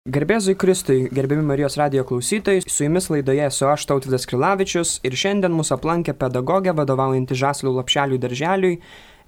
Garbėzui Kristui, gerbiami Marijos radijo klausytojai, su jumis laidoje esu aš, Tautvydas Krilavičius, ir šiandien mūsų aplankė pedagogė vadovaujanti Žaslių Lopšelių darželiui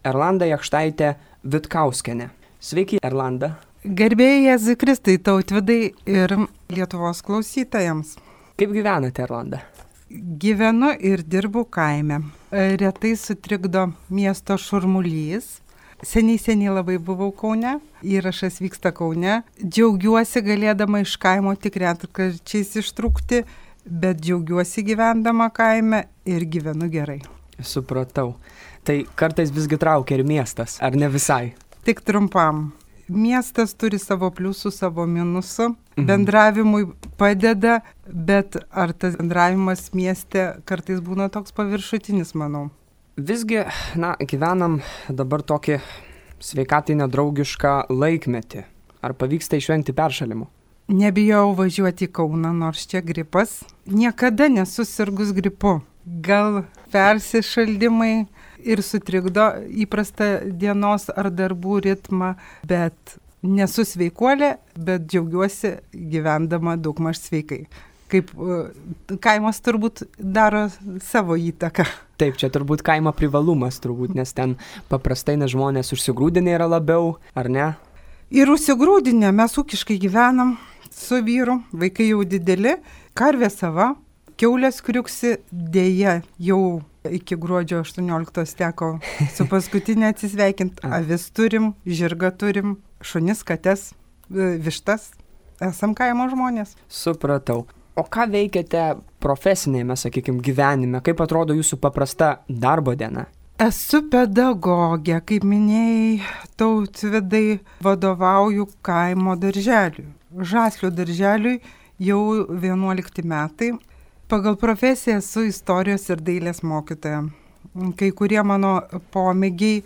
Erlanda Jakštaitė Vitkauskienė. Sveiki, Erlanda. Garbėjai Kristui, Tautvydai ir Lietuvos klausytojams. Kaip gyvenate, Erlanda? Gyvenu ir dirbu kaime. Retai sutrikdo miesto šurmulys. Seniai labai buvau Kaune, įrašas vyksta Kaune. Džiaugiuosi galėdama iš kaimo tik retkarčiais ištrūkti, bet džiaugiuosi gyvendama kaime ir gyvenu gerai. Supratau. Tai kartais visgi traukia ir miestas, ar ne visai? Tik trumpam. Miestas turi savo pliusų, savo minusų. Bendravimui padeda, bet ar tas bendravimas mieste kartais būna toks paviršutinis, manau. Visgi, gyvenam dabar tokį sveikatai nedraugišką laikmetį. Ar pavyksta išvengti peršalimų? Nebijau važiuoti į Kauną, nors čia gripas. Niekada nesusirgus gripu. Gal persišaldimai ir sutrikdo įprastą dienos ar darbų ritmą, bet nesu sveikuolė, bet džiaugiuosi gyvendama daugmaž sveikai. Kaip kaimas turbūt daro savo įtaką. Taip, čia turbūt kaimo privalumas, nes ten paprastai žmonės užsigrūdinę yra labiau, ar ne? Ir užsigrūdinę, mes ūkiškai gyvenam su vyru, vaikai jau dideli, karvė sava, kiaulės kriuksi, dėja jau iki gruodžio 18 teko su paskutinė atsisveikinti. Avis turim, žirgą turim, šunis, kates, vištas, esam kaimo žmonės. Supratau. O ką veikiate profesinėme, gyvenime? Kaip atrodo jūsų paprasta darbo diena? Esu pedagogė, kaip minėjai, Tautvydai, vadovauju kaimo darželiui. Žaslių darželiui jau 11 metai. Pagal profesiją esu istorijos ir dailės mokytoja. Kai kurie mano pomėgiai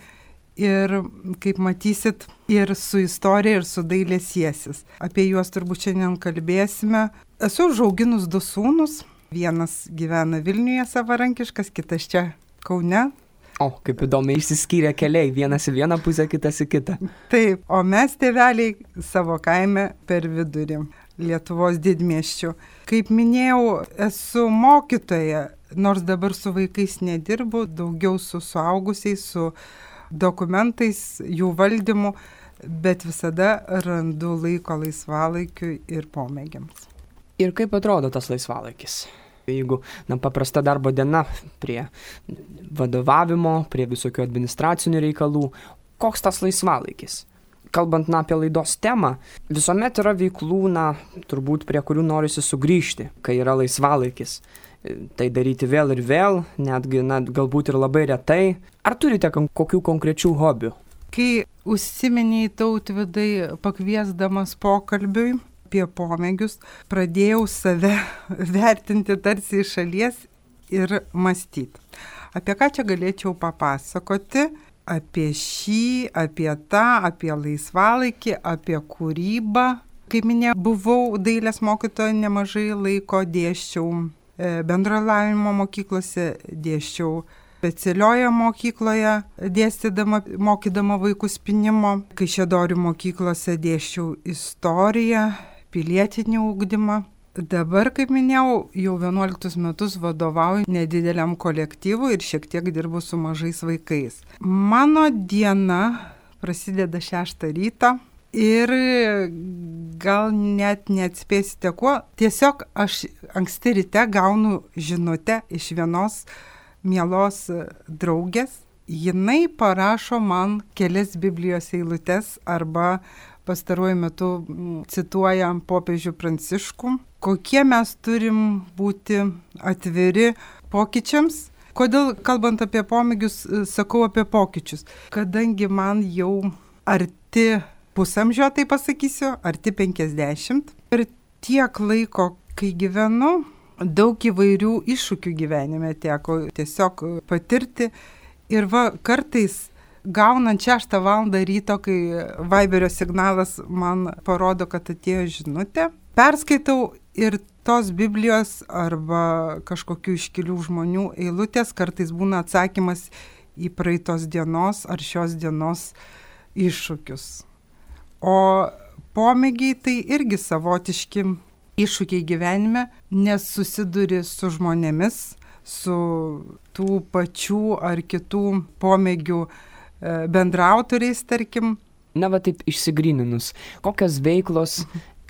ir, kaip matysit, ir su istorija, ir su dailė siesis. Apie juos turbūt šiandien kalbėsime. Esu užauginus 2 sūnus. Vienas gyvena Vilniuje savarankiškas, kitas čia Kaune. O, kaip įdomiai išsiskyrė keliai, vienas į vieną pusę, kitas į kitą. Taip, o mes tėveliai savo kaime per vidurį Lietuvos didmiesčių. Kaip minėjau, esu mokytoja, nors dabar su vaikais nedirbu, daugiau su suaugusiais, su dokumentais, jų valdymu, bet visada randu laiko laisvalaikiui ir pomėgiams. Ir kaip atrodo tas laisvalaikis? Jeigu paprasta darbo diena prie vadovavimo, prie visokių administracinių reikalų, koks tas laisvalaikis? Kalbant apie laidos temą, visuomet yra veiklų, turbūt prie kurių norisi sugrįžti, kai yra laisvalaikis. Tai daryti vėl ir vėl, netgi galbūt ir labai retai. Ar turite kokių konkrečių hobių? Kai užsiminiai, Tautvydai, pakviesdamas pokalbiui apie pomėgius, pradėjau save vertinti tarsi iš šalies ir mąstyti. Apie ką čia galėčiau papasakoti? Apie šį, apie tą, apie laisvalaikį, apie kūrybą. Kaip minėjau, buvau dailės mokytoja, nemažai laiko dėsčiau bendrojo lavinimo mokyklose, dėsčiau specialioje mokykloje, mokydama vaikus pynimo. Kaišiadorių mokyklose dėsčiau istoriją, pilietinį ugdymą. Dabar, kaip minėjau, jau 11 metus vadovauju nedideliam kolektyvui ir šiek tiek dirbu su mažais vaikais. Mano diena prasideda 6 ryto ir gal net neatspėsite kuo. Tiesiog aš anksti ryte gaunu žinutę iš vienos mielos draugės. Jinai parašo man kelias Biblijos eilutes arba pastaruoju metu cituoja popiežių Pranciškų. Kokie mes turim būti atviri pokyčiams? Kodėl, kalbant apie pomėgius, sakau apie pokyčius? Kadangi man jau arti pusamžio, tai pasakysiu, arti 50. Ir tiek laiko, kai gyvenu, daug įvairių iššūkių gyvenime teko tiesiog patirti. Ir kartais gaunant 6 valandą ryto, kai Viberio signalas man parodo, kad atėjo žinutė, perskaitau ir tos Biblijos arba kažkokių iškilių žmonių eilutės kartais būna atsakymas į praeitos dienos ar šios dienos iššūkius. O pomėgiai tai irgi savotiški iššūkiai gyvenime, nes susiduri su žmonėmis, su tų pačių ar kitų pomėgių bendraautoriais, tarkim. Na va taip išsigryninus, kokios veiklos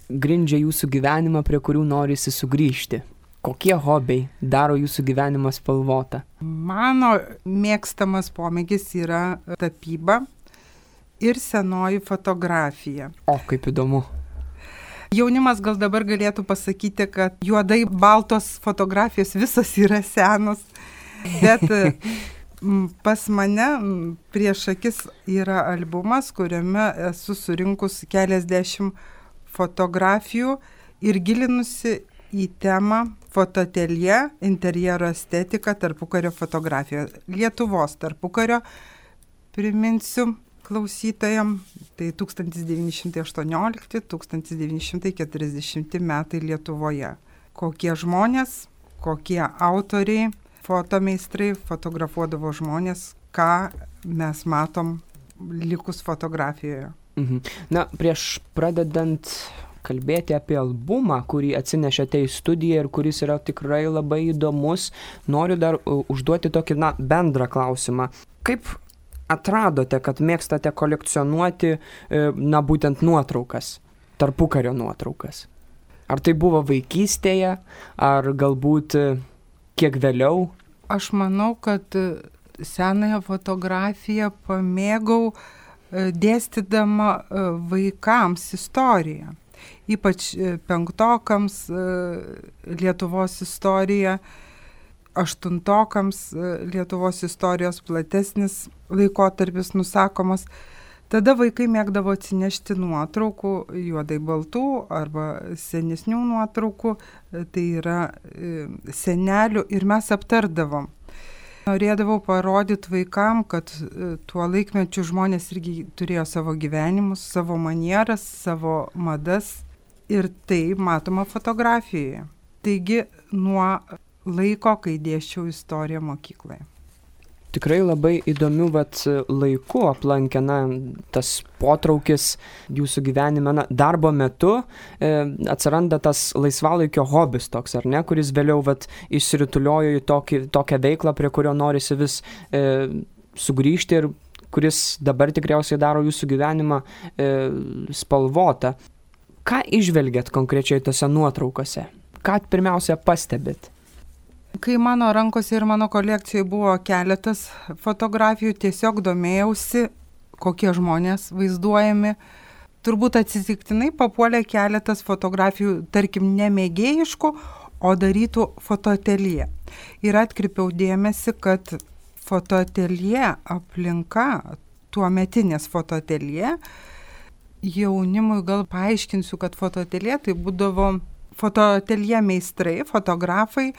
grindžia jūsų gyvenimą, prie kurių norisi sugrįžti? Kokie hobiai daro jūsų gyvenimą spalvotą? Mano mėgstamas pomėgis yra tapyba ir senoji fotografija. O, kaip įdomu. Jaunimas gal dabar galėtų pasakyti, kad juodai baltos fotografijos visos yra senos, bet pas mane prieš akis yra albumas, kuriame esu surinkus keliasdešimt fotografijų ir gilinusi į temą fotoateljė, interjero estetika, tarpukario fotografija. Lietuvos tarpukario, priminsiu klausytojam, tai 1918-1940 metai Lietuvoje. Kokie žmonės, kokie autoriai, fotomeistrai fotografuodavo žmonės, ką mes matom likus fotografijoje. Na, prieš pradedant kalbėti apie albumą, kurį atsinešėte į studiją ir kuris yra tikrai labai įdomus, noriu dar užduoti tokį, bendrą klausimą. Kaip atradote, kad mėgstate kolekcionuoti, būtent nuotraukas, tarpukario nuotraukas? Ar tai buvo vaikystėje, ar galbūt kiek vėliau? Aš manau, kad senąją fotografiją pamėgau dėstydama vaikams istoriją. Ypač penktokams Lietuvos istorija, aštuntokams Lietuvos istorijos platesnis laikotarpis nusakomas. Tada vaikai mėgdavo atsinešti nuotraukų, juodai baltų arba senesnių nuotraukų, tai yra senelių, ir mes aptardavom. Norėdavau parodyti vaikam, kad tuo laikmečiu žmonės irgi turėjo savo gyvenimus, savo manieras, savo madas, ir tai matoma fotografijoje. Taigi nuo laiko, kai dėsčiau istoriją mokykloje. Tikrai labai įdomių laikų aplankė tas potraukis jūsų gyvenime. Darbo metu atsiranda tas laisvalaikio hobis toks, ar ne, kuris vėliau išsirutuliojo į tokią veiklą, prie kurio norisi vis sugrįžti ir kuris dabar tikriausiai daro jūsų gyvenimą spalvotą. Ką įžvelgiat konkrečiai tose nuotraukose? Ką pirmiausia pastebit? Kai mano rankose ir mano kolekcijoje buvo keletas fotografijų, tiesiog domėjausi, kokie žmonės vaizduojami. Turbūt atsitiktinai papuolė keletas fotografijų, tarkim, ne mėgėjiškų, o darytų fotoateljė. Ir atkreipiau dėmesį, kad fotoateljė aplinka, tuometinės fotoateljė, jaunimui gal paaiškinsiu, kad fotoateljė tai būdavo fotoateljė meistrai, fotografai,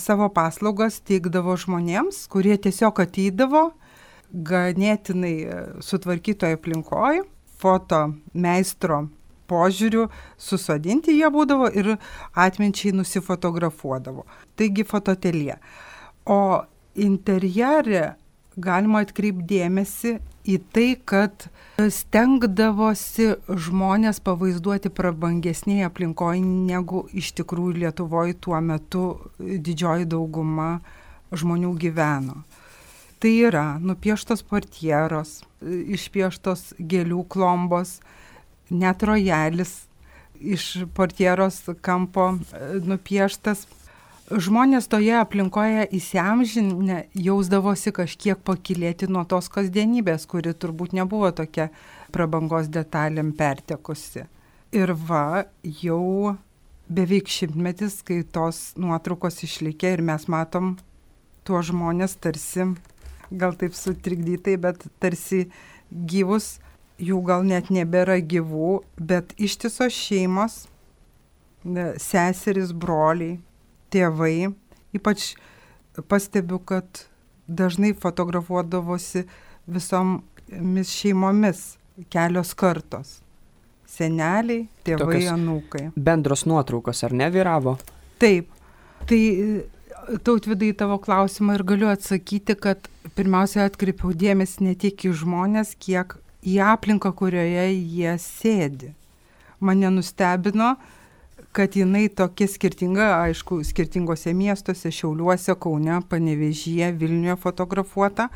savo paslaugas teikdavo žmonėms, kurie tiesiog ateidavo ganėtinai sutvarkytoje aplinkoje, foto meistro požiūriu susodinti jie būdavo ir atminčiai nusifotografuodavo. Taigi fotoateljė. O interjere galima atkreipti dėmesį į tai, kad stengdavosi žmonės pavaizduoti prabangesnėje aplinkoje, negu iš tikrųjų Lietuvoje tuo metu didžioji dauguma žmonių gyveno. Tai yra nupieštos portieros, išpieštos gėlių klombos, net rojalis iš portieros kampo nupieštas. Žmonės toje aplinkoje įsiamžinę jausdavosi kažkiek pakylėti nuo tos kasdienybės, kuri turbūt nebuvo tokia prabangos detalėm pertekusi. Ir jau beveik 100 metis, kai tos nuotraukos išlikė ir mes matom tuos žmonės tarsi, gal taip sutrikdytai, bet tarsi gyvus, jų gal net nebėra gyvų, bet ištisos šeimos, seserys, broliai, tėvai, ypač pastebiu, kad dažnai fotografuodavosi visomis šeimomis, kelios kartos. Seneliai, tėvai, tokios anūkai. Bendros nuotraukos, ar ne, vyravo? Taip. Tai Tautvydai tavo klausimą ir galiu atsakyti, kad pirmiausia atkreipiau dėmesį ne tiek į žmonės, kiek į aplinką, kurioje jie sėdi. mane nustebino, kad jinai tokia skirtinga, aišku, skirtingose miestuose, Šiauliuose, Kaune, Panevėžyje, Vilniuje fotografuota,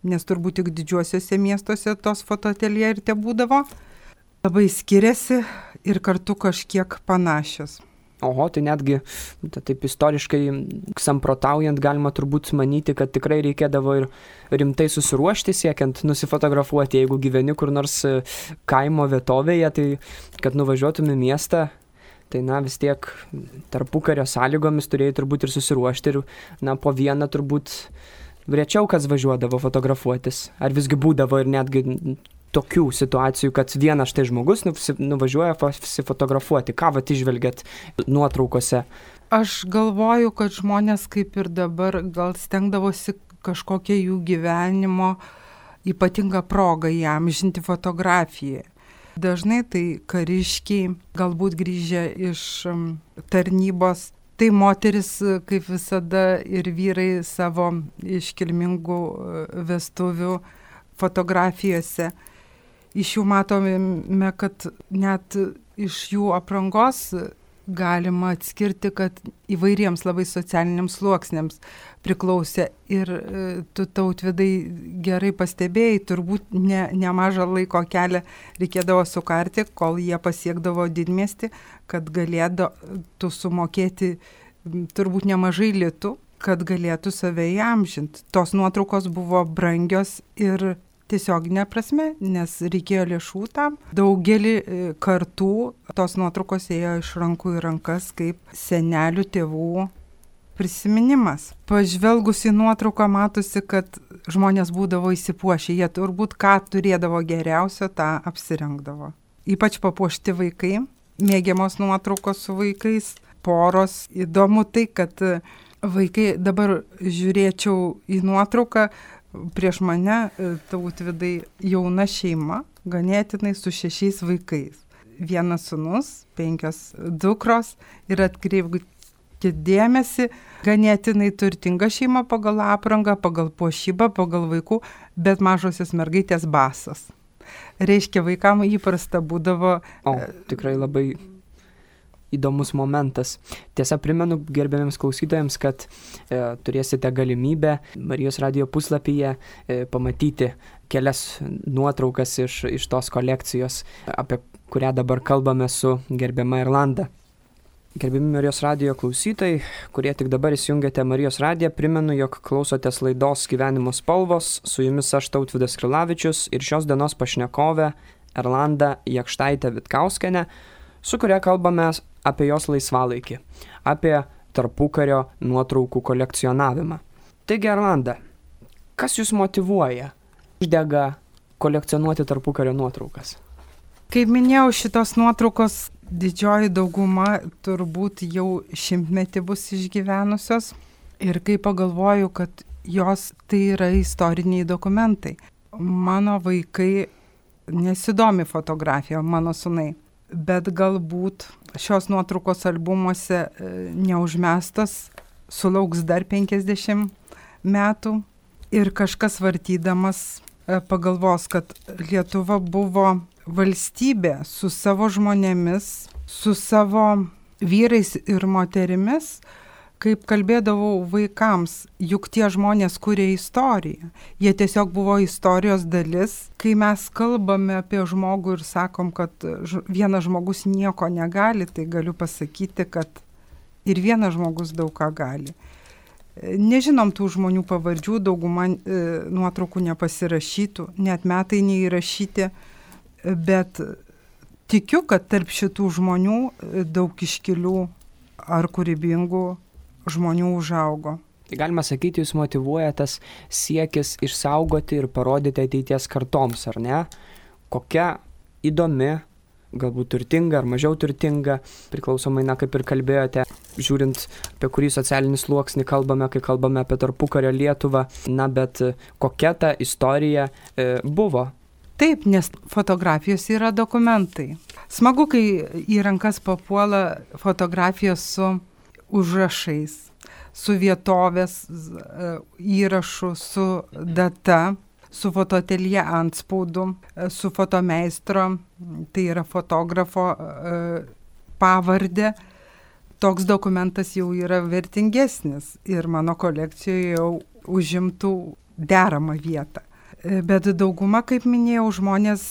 nes turbūt tik didžiuosiuose miestuose tos fotoateljė ir te būdavo. Labai skiriasi ir kartu kažkiek panašios. Oho, tai netgi, taip istoriškai samprotaujant, galima turbūt manyti, kad tikrai reikėdavo ir rimtai susiruošti siekiant nusifotografuoti, jeigu gyveni kur nors kaimo vietovėje, tai kad nuvažiuotum į miestą, tai vis tiek tarpukario sąlygomis turėjai turbūt ir susiruošti ir po vieną turbūt rečiau kas važiuodavo fotografuotis. Ar visgi būdavo ir netgi tokių situacijų, kad vienas štai žmogus nuvažiuoja fotografuoti. Ką išvelgiat nuotraukose? Aš galvoju, kad žmonės kaip ir dabar gal stengdavosi kažkokią jų gyvenimo ypatingą progą įamžinti fotografiją. Dažnai tai kariškiai, galbūt grįžę iš tarnybos, tai moteris kaip visada ir vyrai savo iškilmingų vestuvių fotografijose. Iš jų matome, kad net iš jų aprangos galima atskirti, kad įvairiems labai socialiniams sluoksniams priklausė. Ir tu, Tautvydai, gerai pastebėjai, turbūt nemažą laiko kelią reikėdavo sukarti, kol jie pasiekdavo didmiestį, kad galėtų sumokėti turbūt nemažai litų, kad galėtų save įamžinti. Tos nuotraukos buvo brangios ir tiesioginė prasme, nes reikėjo lėšų tam. Daugelį kartų tos nuotraukos ėjo iš rankų į rankas kaip senelių tėvų prisiminimas. Pažvelgus į nuotrauką matosi, kad žmonės būdavo įsipuošę. Jie turbūt ką turėdavo geriausio, tą apsirengdavo. Ypač papuošti vaikai, mėgiamos nuotraukos su vaikais, poros. Įdomu tai, kad vaikai, dabar žiūrėčiau į nuotrauką, prieš mane, Tautvydai, jauna šeima, ganėtinai su 6 vaikais. 1 sūnus, 5 dukros ir atkreipkite dėmesį, ganėtinai turtinga šeima pagal aprangą, pagal puošybą, pagal vaikų, bet mažosios mergaitės basos. Reiškia, vaikam įprasta būdavo... Tikrai labai įdomus momentas. Tiesa, primenu gerbiamiems klausytojams, kad turėsite galimybę Marijos radijo puslapyje pamatyti kelias nuotraukas iš tos kolekcijos, apie kurią dabar kalbame su gerbiama Erlanda. Gerbiami Marijos radijo klausytojai, kurie tik dabar įsijungėte Marijos radiją, primenu, jog klausotės laidos Gyvenimo spalvos, su jumis aš Tautvydas Krilavičius ir šios dienos pašnekovė Erlanda Jakštaitė Vitkauskienė, su kuria kalbame apie jos laisvalaikį, apie tarpukario nuotraukų kolekcionavimą. Taigi, Erlanda, kas jūs motyvuoja, uždega kolekcionuoti tarpukario nuotraukas? Kaip minėjau, šitos nuotraukos didžioji dauguma turbūt jau 100-metį bus išgyvenusios. Ir kai pagalvoju, kad jos tai yra istoriniai dokumentai. Mano vaikai nesidomi fotografija, mano sūnai. Bet galbūt šios nuotraukos albumuose neužmestas, sulauks dar 50 metų ir kažkas vartydamas pagalvos, kad Lietuva buvo valstybė su savo žmonėmis, su savo vyrais ir moterimis. Kaip kalbėdavau vaikams, juk tie žmonės kuria istoriją. Jie tiesiog buvo istorijos dalis. Kai mes kalbame apie žmogų ir sakom, kad vienas žmogus nieko negali, tai galiu pasakyti, kad ir vienas žmogus daug ką gali. Nežinom tų žmonių pavardžių, dauguma nuotraukų nepasirašytų, net metai neįrašyti, bet tikiu, kad tarp šitų žmonių daug iškilių ar kūrybingų žmonių užaugo. Tai galima sakyti, jūs motyvuoja tas siekis išsaugoti ir parodyti ateities kartoms, ar ne? Kokia įdomi, galbūt turtinga ar mažiau turtinga, priklausomai, kaip ir kalbėjote, žiūrint, apie kurį socialinį sluoksnį kalbame, kai kalbame apie tarpukario Lietuvą, bet kokia ta istorija buvo? Taip, nes fotografijos yra dokumentai. Smagu, kai į rankas papuola fotografijos su užrašais, su vietovės įrašu, su data, su fotoateljė antspaudu, su fotomeistro, tai yra fotografo pavardė. Toks dokumentas jau yra vertingesnis ir mano kolekcijoje jau užimtų deramą vietą. Bet dauguma, kaip minėjau, žmonės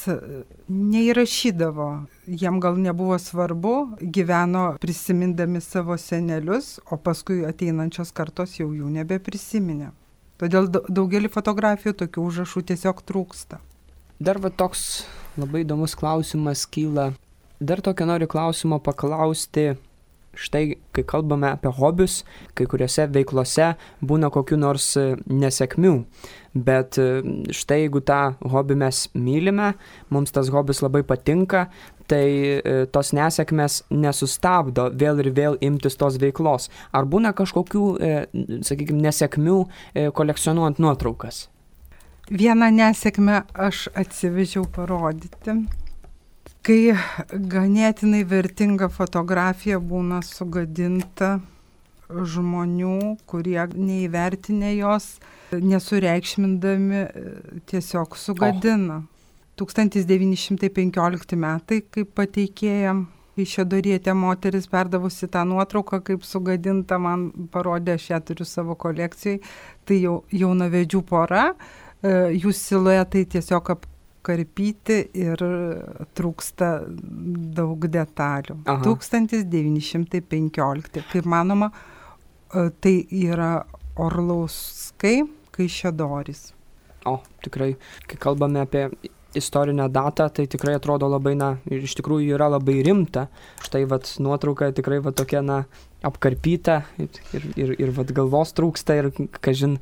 neįrašydavo. Jiem gal nebuvo svarbu, gyveno prisimindami savo senelius, o paskui ateinančios kartos jau jų nebeprisiminė. Todėl daugelį fotografijų tokių užrašų tiesiog trūksta. Dar va toks labai įdomus klausimas kyla. Dar tokio noriu klausimo paklausti. Štai, kai kalbame apie hobius, kai kuriuose veiklose būna kokių nors nesėkmių, bet štai jeigu tą hobį mes mylime, mums tas hobis labai patinka, tai tos nesėkmės nesustabdo vėl ir vėl imtis tos veiklos. Ar būna kažkokių, sakykime, nesėkmių kolekcionuojant nuotraukas? Vieną nesėkmę aš atsivežiau parodyti. Kai ganėtinai vertinga fotografija būna sugadinta žmonių, kurie neįvertinę jos, nesureikšmindami, tiesiog sugadina. 1915 metai, kaip pateikėjam, Kaišiadorietė moteris perdavusi tą nuotrauką, kaip sugadinta, man parodė, aš ją turiu savo kolekcijai, tai jaunavedžių pora, jų siluetai tiesiog karpyti ir trūksta daug detalių. Aha. 1915. Kaip manoma, tai yra Orlauskai, Kaišiadorys. O, tikrai, kai kalbame apie istorinę datą, tai tikrai atrodo labai, ir iš tikrųjų yra labai rimta. Štai vat nuotrauka tikrai vat tokia, apkarpyta ir vat galvos trūksta ir, kažin,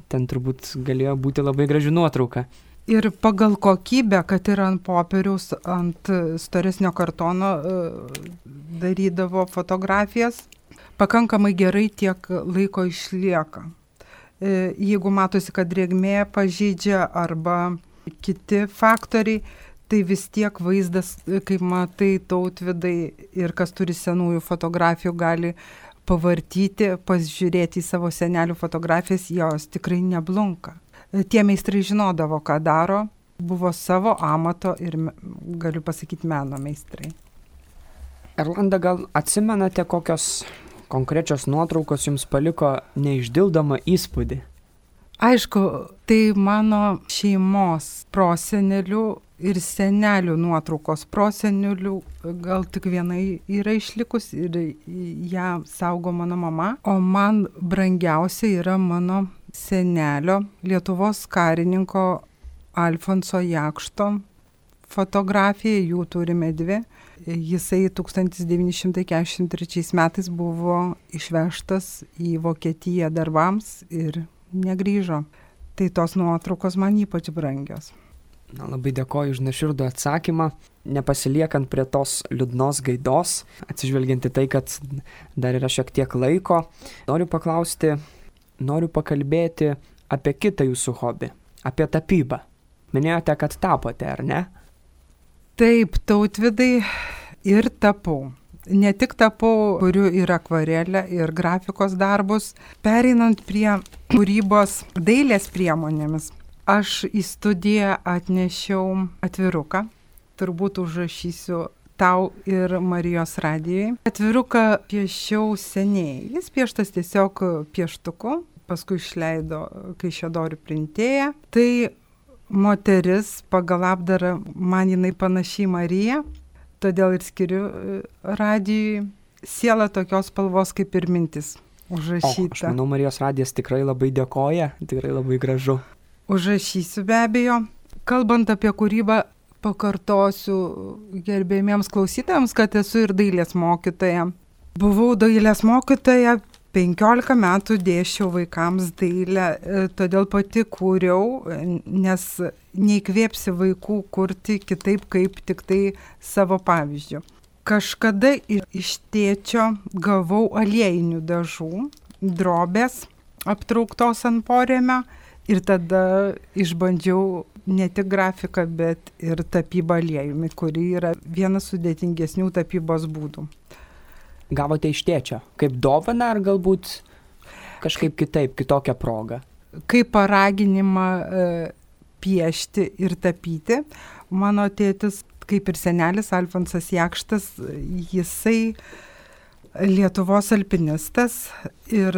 ten turbūt galėjo būti labai graži nuotrauka. Ir pagal kokybę, kad ir ant popieriaus, ant storesnio kartono darydavo fotografijas, pakankamai gerai tiek laiko išlieka. Jeigu matosi, kad drėgmė pažeidžia arba kiti faktoriai, tai vis tiek vaizdas, kaip matai, Tautvydai ir kas turi senųjų fotografijų, gali pavartyti, pasižiūrėti į savo senelių fotografijas, jos tikrai neblunka. Tie meistrai žinodavo, ką daro, buvo savo amato ir, galiu pasakyti, meno meistrai. Erlanda, gal atsimenate, kokios konkrečios nuotraukos jums paliko neišdildomą įspūdį? Aišku, tai mano šeimos prosenelių ir senelių nuotraukos. Prosenelių gal tik vienai yra išlikus ir ją saugo mano mama, o man brangiausia yra mano senelio, Lietuvos karininko Alfonso Jakšto fotografija, jų turime dvi. Jisai 1943 metais buvo išvežtas į Vokietiją darbams ir negrįžo. Tai tos nuotraukos man ypač brangios. Labai dėkoju už nuoširdų atsakymą, nepasiliekant prie tos liūdnos gaidos, atsižvelgiant į tai, kad dar yra šiek tiek laiko. Noriu pakalbėti apie kitą jūsų hobį, apie tapybą. Minėjote, kad tapote, ar ne? Taip, Tautvydai, ir tapau. Ne tik tapau, kuriu ir akvarelę, ir grafikos darbus. Pereinant prie kūrybos dailės priemonėmis, aš į studiją atnešiau atviruką. Turbūt užrašysiu tau ir Marijos radijui. Atviruką piešiau seniai. Jis pieštas tiesiog pieštuku, paskui išleido Kaišiadorių printėją. Tai moteris pagal apdarą, man jinai panaši į Mariją, todėl ir skiriu radijui. Siela tokios spalvos kaip ir mintis užrašyta. Aš manau, Marijos radijas tikrai labai dėkoja, tikrai labai gražu. Užrašysiu be abejo. Kalbant apie kūrybą, pakartosiu gerbėjimiems klausytojams, kad esu ir dailės mokytoja. Buvau dailės mokytoja, 15 metų dėsčiau vaikams dailę, todėl pati kūriau, nes neįkvėpsi vaikų kurti kitaip, kaip tik tai savo pavyzdžių. Kažkada iš tėčio gavau aliejinių dažų, drobės aptrauktos ant porėmio ir tada išbandžiau ne tik grafiką, bet ir tapybą aliejumi, kuri yra vienas sudėtingesnių tapybos būdų. Gavote iš tėčio? Kaip dovaną ar galbūt kažkaip kitaip, kitokią progą? Kaip paraginimą piešti ir tapyti. Mano tėtis, kaip ir senelis Alfonsas Jakštas, jisai Lietuvos alpinistas ir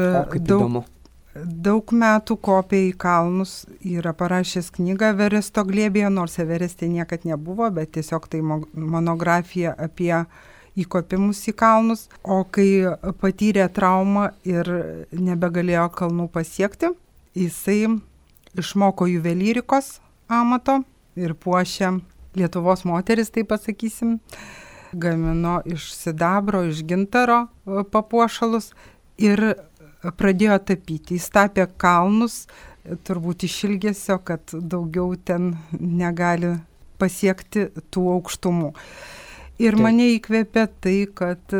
daug metų kopė į kalnus, yra parašęs knygą Everesto glėbyje, nors Evereste niekad nebuvo, bet tiesiog tai monografija apie įkopimus į kalnus. O kai patyrė traumą ir nebegalėjo kalnų pasiekti, jisai išmoko juvelyrikos amato ir puošė Lietuvos moteris, taip pasakysim, gamino iš sidabro, iš gintaro papuošalus ir pradėjo tapyti. Jis tapė kalnus, turbūt iš ilgesio, kad daugiau ten negali pasiekti tų aukštumų. Ir mane įkvėpė tai, kad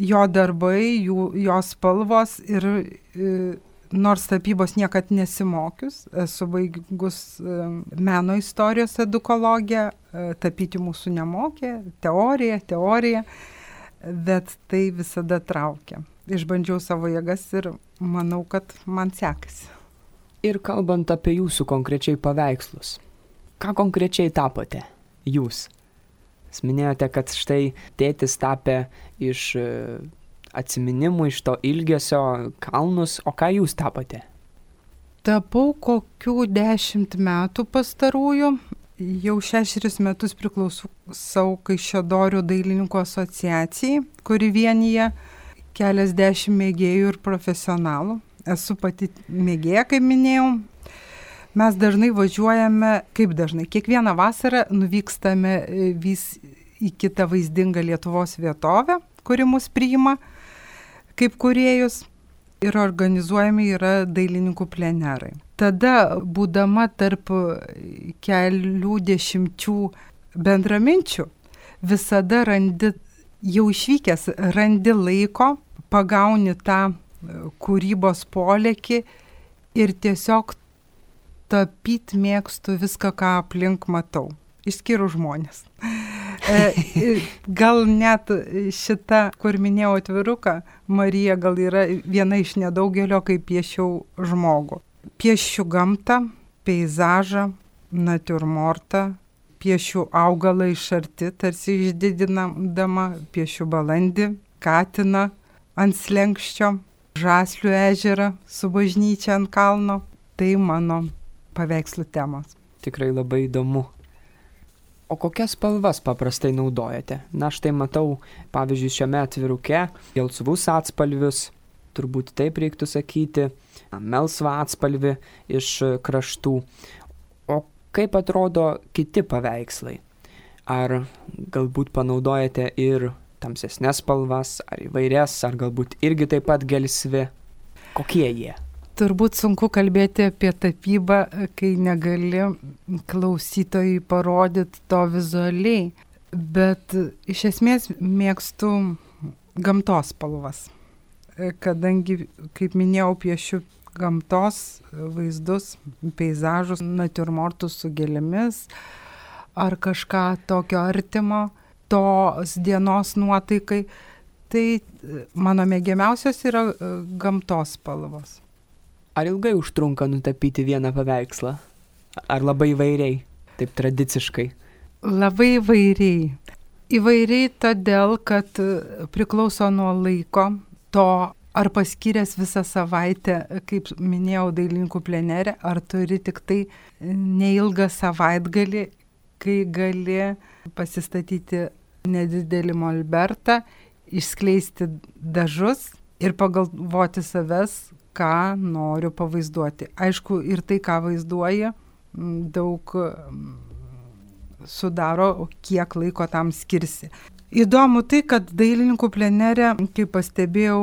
jo darbai, jo spalvos ir nors tapybos niekad nesimokius, esu baigus meno istorijos edukologiją, tapyti mūsų nemokė, teorija, bet tai visada traukia. Išbandžiau savo jėgas ir manau, kad man sekasi. Ir kalbant apie jūsų konkrečiai paveikslus, ką konkrečiai tapote jūs? Jūs minėjote, kad štai tėtis tapė iš atsiminimų, iš to ilgesio kalnus, o ką jūs tapote? Tapau kokių 10 metų pastarųjų. Jau 6 metus priklausau Kaišiadorių dailininkų asociacijai, kuri vienyje keliasdešimt mėgėjų ir profesionalų. Esu pati mėgėja, kaip minėjau. Mes dažnai važiuojame, kiekvieną vasarą nuvykstame vis į kitą vaizdingą Lietuvos vietovę, kuri mus priima kaip kūrėjus ir organizuojami yra dailininkų plenerai. Tada, būdama tarp kelių dešimčių bendraminčių, visada jau išvykęs randi laiko, pagauni tą kūrybos polėkį ir tiesiog tapyti mėgstu viską, ką aplink matau, išskyrus žmonės. Gal net šita, kur minėjau atviruką, Marija gal yra viena iš nedaugelio, kai piešiau žmogų. Piešiu gamtą, peizažą, natiurmortą, piešiu augalą iš arti, tarsi išdidinama, piešiu balandį, katiną ant slenkščio, Žaslių ežerą su bažnyčia ant kalno. Tai mano paveikslų temos. Tikrai labai įdomu. O kokias spalvas paprastai naudojate? Na, štai matau, pavyzdžiui, šiame atviruke gelsvus atspalvius, turbūt taip reiktų sakyti, melsvą atspalvį iš kraštų. O kaip atrodo kiti paveikslai? Ar galbūt panaudojate ir tamsesnes spalvas, ar įvairias, ar galbūt irgi taip pat gelsvi? Kokie jie? Turbūt sunku kalbėti apie tapybą, kai negali klausytojui parodyti to vizualiai, bet iš esmės mėgstu gamtos spalvas, kadangi, kaip minėjau, piešiu gamtos vaizdus, peizažus, natiurmortus su gėlėmis ar kažką tokio artimo tos dienos nuotaikai, tai mano mėgiamiausios yra gamtos spalvos. Ar ilgai užtrunka nutapyti vieną paveikslą? Ar labai įvairiai, taip tradiciškai? Labai įvairiai. Įvairiai todėl, kad priklauso nuo laiko, to ar paskyręs visą savaitę, kaip minėjau, dailininkų plenere, ar turi tik tai neilgą savaitgalį, kai gali pasistatyti nedidelį molbertą, išskleisti dažus ir pagalvoti savęs, ką noriu pavaizduoti. Aišku, ir tai, ką vaizduoji, daug sudaro, kiek laiko tam skirsi. Įdomu tai, kad dailininkų plenere, kaip pastebėjau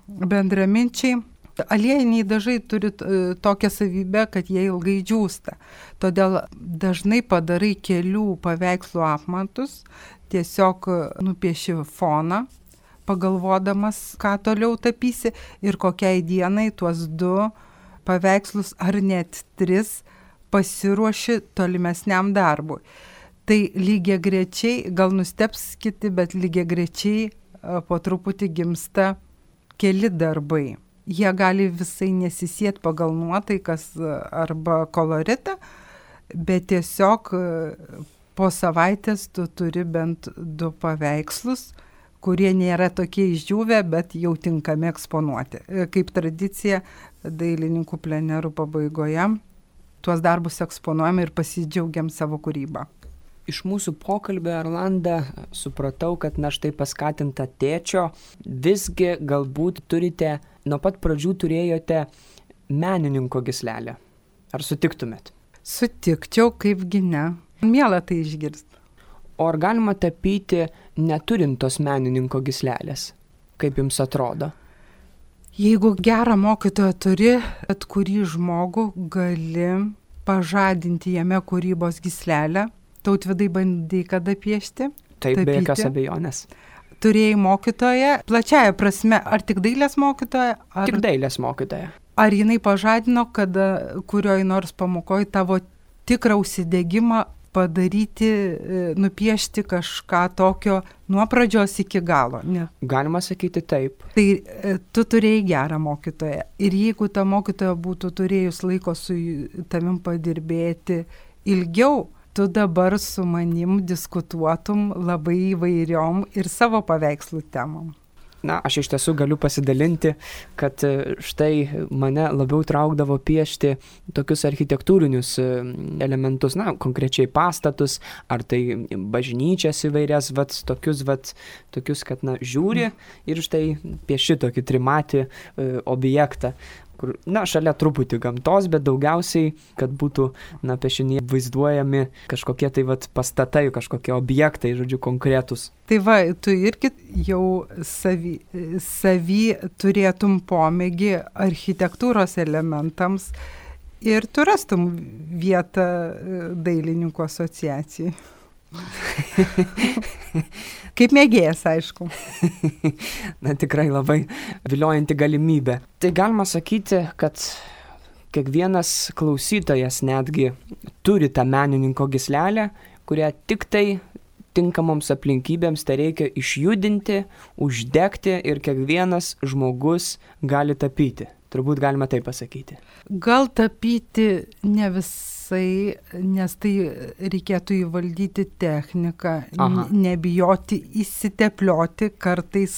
bendraminčiai, aliejiniai dažai turi tokią savybę, kad jie ilgai džiūsta. Todėl dažnai padarai kelių paveikslų apmatus, tiesiog nupieši foną, pagalvodamas, ką toliau tapysi ir kokiai dienai tuos 2 paveikslus ar net 3 pasiruoši tolimesniam darbui. Tai lygiagrečiai, gal nustebs kiti, bet lygiagrečiai po truputį gimsta keli darbai. Jie gali visai nesisiet pagal nuotaikas arba koloritą, bet tiesiog po savaitės tu turi bent 2 paveikslus, kurie nėra tokie išdžiūvę, bet jau tinkami eksponuoti. Kaip tradicija dailininkų plenerų pabaigoje tuos darbus eksponuojame ir pasidžiaugiam savo kūrybą. Iš mūsų pokalbio, Erlanda, supratau, kad štai paskatinta tėčio, visgi galbūt nuo pat pradžių turėjote menininko gyslelę. Ar sutiktumėt? Sutikčiau, kaipgi ne. Miela tai išgirsti. O ar galima tapyti neturint tos menininko gyslelės? Kaip jums atrodo? Jeigu gerą mokytoją turi, bet kurį žmogų gali pažadinti jame kūrybos gyslelę. Tautvydai, bandai kada piešti? Taip, be jokios abejonės. Turėjai mokytoją, plačiaja prasme, ar tik dailės mokytoja? Tik dailės mokytoja. Ar jinai pažadino, kada kurioj nors pamokoje tavo tikrą užsidegimą padaryti, nupiešti kažką tokio nuo pradžios iki galo? Ne. Galima sakyti taip. Tai tu turėjai gerą mokytoją. Ir jeigu ta mokytoja būtų turėjus laiko su tavim padirbėti ilgiau, tu dabar su manim diskutuotum labai įvairiom ir savo paveikslų temom. Aš iš tiesų galiu pasidalinti, kad štai mane labiau traukdavo piešti tokius architektūrinius elementus, konkrečiai pastatus, ar tai bažnyčias įvairias, tokius, kad žiūri ir štai pieši tokį trimatį objektą, kur, šalia truputį gamtos, bet daugiausiai, kad būtų, piešiniai vaizduojami kažkokie tai pastatai, kažkokie objektai, konkretus. Tai tu irgi jau savy turėtum pomėgį architektūros elementams ir tu rastum vietą dailininkų asociacijai. Kaip mėgėjas, aišku. Tikrai labai viliojanti galimybė. Tai galima sakyti, kad kiekvienas klausytojas netgi turi tą menininko gyslelę, kurią tik tai tinkamoms aplinkybėms tai reikia išjudinti, uždegti ir kiekvienas žmogus gali tapyti. Turbūt galima taip pasakyti. Gal tapyti ne visai, nes tai reikėtų įvaldyti techniką, nebijoti įsiteplioti kartais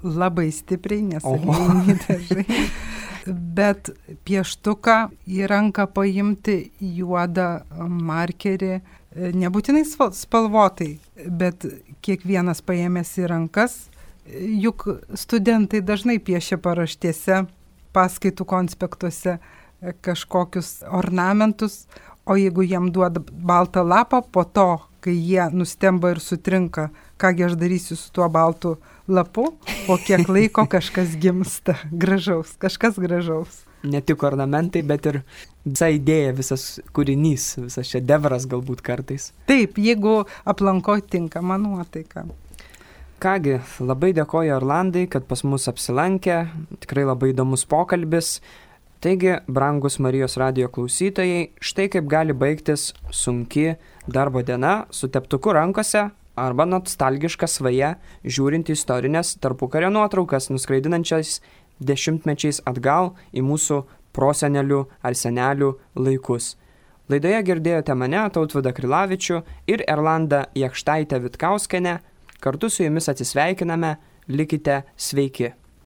labai stipriai, nes aliejiniai dažai. Bet pieštuką į ranką paimti, juodą markerį, nebūtinai spalvotai, bet kiekvienas paėmęs į rankas, juk studentai dažnai piešia paraštėse, paskaitų konspektuose kažkokius ornamentus, o jeigu jiem duoda baltą lapą, po to, kai jie nustemba ir sutrinka, kągi aš darysiu su tuo baltu lapu, po kiek laiko kažkas gimsta gražaus, kažkas gražaus. Ne tik ornamentai, bet ir visa idėja, visas kūrinys, visas šedevras galbūt kartais. Taip, jeigu aplanko tinkama nuotaika. Kągi, labai dėkoju Erlandai, kad pas mus apsilankė, tikrai labai įdomus pokalbis. Taigi, brangus Marijos radijo klausytojai, štai kaip gali baigtis sunki darbo diena su teptuku rankose arba nostalgiška svaja, žiūrint istorinės tarpukario nuotraukas, nuskraidinančias dešimtmečiais atgal į mūsų prosenelių ar senelių laikus. Laidoje girdėjote mane, Tautvydą Krilavičių ir Erlandą Jakštaitę Vitkauskienę. Kartu su jumis atsisveikiname, likite sveiki.